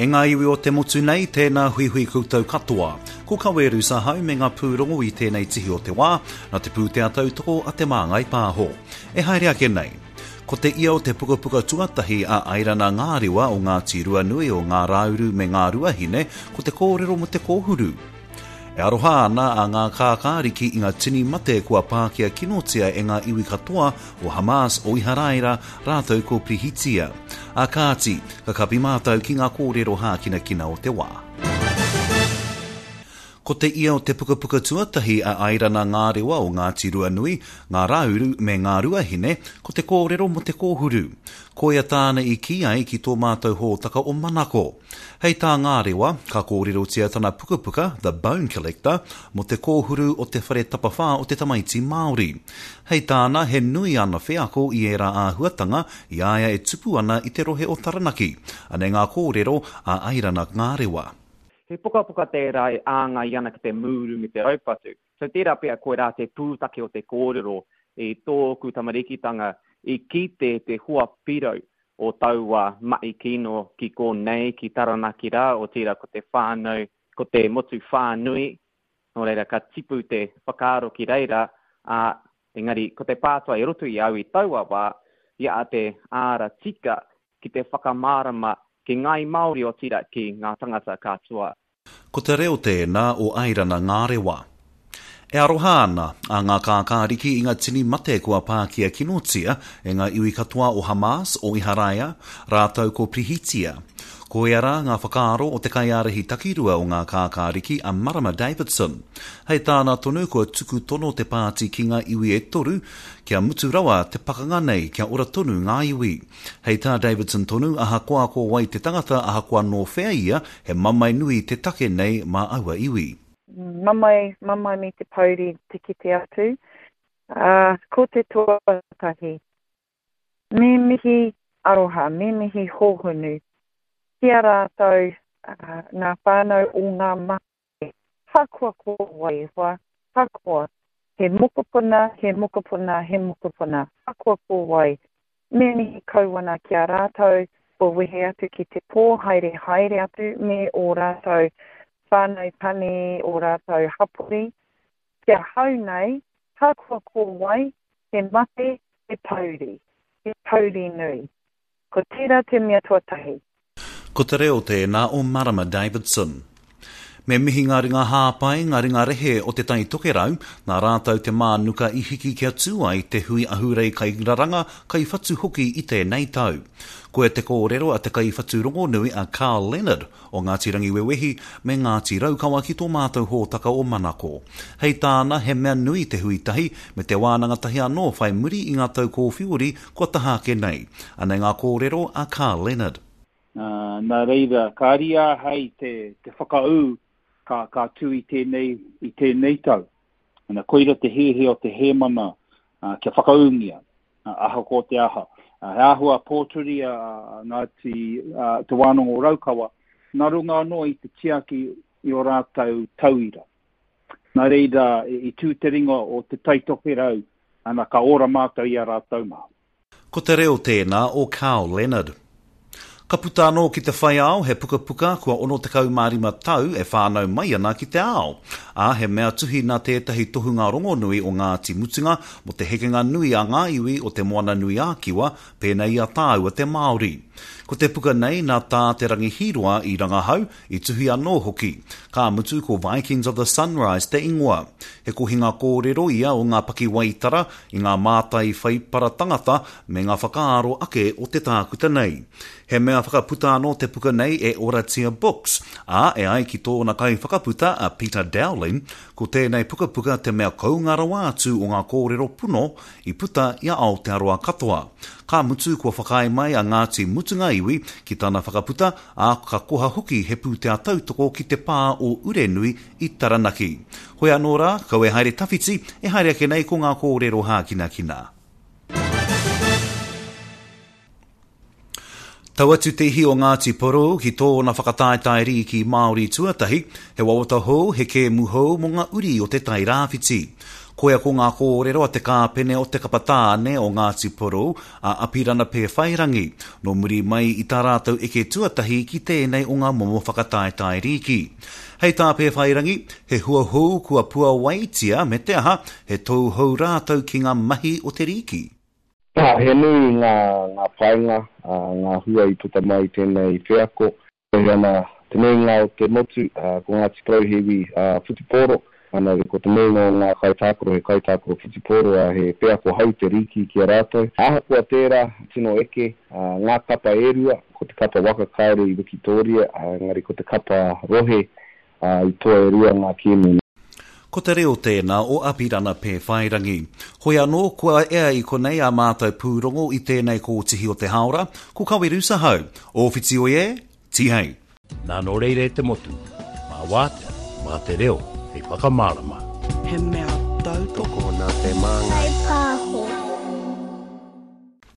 E ngā iwi o te motu nei, tēnā huihui koutou katoa. Ko Kawe Rusahau me ngā pūrongo i tēnei tihi o te wā, nā te pūtea tautoko a Te Māngai Pāho. E haere ake nei. Ko te ia o te pukapuka tuatahi a Airana Ngārewa o Ngāti Ruanui o Ngā Rāuru me Ngā Ruahine, ko te kōrero mō te kōhuru. E aroha ana a Ngā Kākāriki i ngā tini mate kua pākia kinotia e ngā iwi katoa o Hamas, o Iharaira, rātou ko Pihitia. Ā kāti, ka kapi mātou ki ngā kōrero hākinakina o te wā. Ko te ia o te pukapuka tuatahi a Airana Ngārewa o Ngāti Ruanui, Ngā Rāuru me Ngā Ruahine, ko te kōrero mō te kōhuru. Koia tāna i kī ai ki tō mātou hōtaka o Manako. Hei tā Ngārewa, ka kōrerotia tana pukapuka, The Bone Collector, mō te kōhuru o te whare tapawhā o te tamaiti Māori. Hei tāna, he nui ana wheako i ērā āhuatanga i a ia e tupu ana i te rohe o Taranaki. Anei ngā kōrero a Airana Ngārewa. He pukapuka tērā e āngai ana ki te mūru me te raupatu. So tērā pea koirā te pūtake o te kōrero i tōku tamarikitanga i kite te hoa pirau o taua mahi kino ki konei, ki Taranaki rā, otirā ko te whānau, ko te motu whānui, nō reira ka tipu te whakaaro ki reira, ā, engari ko te pātai i roto i au i taua wā, i a te āra tika ki te whakamārama ki ngāi Māori otirā ki ngā tangata katoa. Ko te reo tēnā o Airana Ngārewa. E aroha ana a Ngā Kākāriki i ngā tini mate kua pākia kinotia e ngā iwi katoa o Hamas, o Iharaia, rātou ko Pihitia. Koia rā ngā whakaaro o te kaiārahi takirua o Ngā Kākāriki a Marama Davidson. Hei tāna tonu kua tuku tono te pāti ki ngā iwi e toru kia mutu rawa te pakanga nei kia ora tonu ngā iwi. Hei tā Davidson tonu, ahakoa ko wai te tangata, ahakoa nō whea ia, he mamae nui te take nei mā aua iwi. Mamae, mamae me te pouri te kite atu. Ā, ko te tuatahi, me mihi aroha, me mihi hōhonu ki a rātou ngā whānau o ngā mate, hakoa ko wai e hoa, hakoa he mokopuna, he mokopuna, he mokopuna, hakoa ko wai, Me mihi kau ana ki a rātou kua wehe atu ki te pō haere haere atu me ō rātou whānau pani, ō rātou hapori. Ki ahau nei, hakoa ko wai, he mate, he pouri. He pouri nui. Ko tērā te mea tuatahi. Ko te reo tēnā o Marama Davidson. Me mihi ngā ringa hāpai, ngā ringa rehe o Te Tai Tokerau, nā rātou te mānuka i hiki kia tū ai te hui ahurei kairaranga, kaiwhatu hoki i tēnei tau. Koia te kōrero a te kaiwhatu rongonui a Carl Leonard o Ngāti Rangiwewehi me Ngāti Raukawa ki tō mātou hōtaka o Manako. Hei tāna, he mea nui te hui tahi me te wānanga tahi anō whai muri i ngā tau kōwhiori kua taha ake nei. Anei ngā kōrero a Carl Leonard. Nā reira, ka ariā hei te, te whakaū ka, ka tū i tēnei, i tēnei tau. Ana, koira te hiahia o te hēmana kia whakaūngia, ahakoa te aha. He āhua pōturi a Ngāti, a Te Wānanga o Raukawa, nā runga anō i te tiaki i ō rātou tauira. Nā reira, i tū te ringa o Te Tai Tokerau, ana, ka ora mātou i a rātou mā. Ko te reo tēnā o Carl Leonard. Ka puta anō ki te whai ao he pukapuka kua 65 tau e whānau mai ana ki te ao, ā, he mea tuhi nā tētahi tohunga rongonui o Ngāti Mutunga mō te hekenga nui a ngā iwi o Te Moana-nui-ā-Kiwa pēnei i a tāua te Māori. Ko te puka nei nā Tā Te Rangi Hīroa i rangahau, I tuhi anō hoki. Ka mutu ko Vikings of the Sunrise te ingoa. He kohinga kōrero ia o ngā pakiwaitara i ngā mātai whaipara tangata me ngā whakaaro ake o te tākuta nei. He mea whakaputa anō te puka nei e Oratia Books, ā, e ai ki tōna kaiwhakaputa a Peter Dowling, ko tēnei pukapuka te mea kounga rawa atu o ngā kōrero puno i puta i a Aotearoa katoa. Ka mutu kua whakaae mai a Ngāti Mutunga Iwi ki tana whakaputa, ā, ka koha hoki he pūtea tautoko ki te pā o Urenui i Taranaki. Hoi anō rā, kau e haere tawhiti, e haere ake nei ko ngā kōrero hākinakina. Tau atu te ihi o Ngāti Porou ki tōna whakataetae rīki Māori tuatahi, he wawata hou, he kēmu hou mō ngā uri o Te Tai Rāwhiti. Koia ko ngā kōrero a te kāpene o te kapa tāne o Ngāti Porou, a Apirana Pēwhairangi, nō muri mai i tā rātou eke tuatahi ki tēnei o ngā momo whakataetae rīki. Hei tā Pēwhairangi, he hua hou kua puawaitia me te aha, he tou hou rātou ki ngā mahi o te rīki. Ā, he nui ngā, ngā painga, ā, ngā hua i puta mai i tēnei wheako. Wehe ana te nuinga o te motu, ā, ko Ngāti Porou he iwi, ā, whutupōro. Ana, ko te nuinga o ngā kaitākaro he kaitākaro whutupōro, ā, he wheako hou te rīki ki a rātou. Ahakoa tērā, tino eke, ā, ngā kapa e rua, ko te kapa waka kāore i wikitōria, ā, engari ko te kapa rohe, ā, i toa e rua ngā kēmu. Ko te reo tēnā o Apirana Pēwhairangi. Hoi anō, kua ea i konei ā mātou pūrongo i tēnei kōtihi o te hāora, ko Kaweru Sahau. Ō whiti oi e, tihei! Nā nō reira e te motu, mā wātea, mā te reo hei whakamārama. He mea tautoko. Tokona te māngai.